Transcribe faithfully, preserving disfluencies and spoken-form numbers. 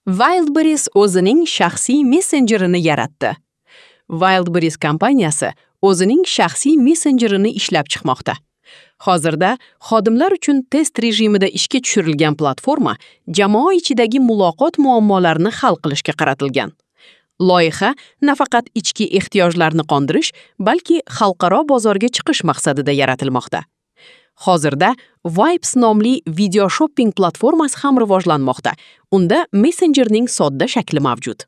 Wildberries o'zining shaxsiy messenjerini yaratdi. Wildberries kompaniyasi o'zining shaxsiy messenjerini ishlab chiqmoqda. Hozirda xodimlar uchun test rejimida ishga tushirilgan platforma jamoa ichidagi muloqot muammolarini hal qilishga qaratilgan. Loyiha nafaqat ichki ehtiyojlarni qondirish, balki xalqaro bozorga chiqish maqsadida yaratilmoqda. Hozirda Vibes nomli video shopping platformasi ham rivojlanmoqda. Unda messenjerning sodda shakli mavjud.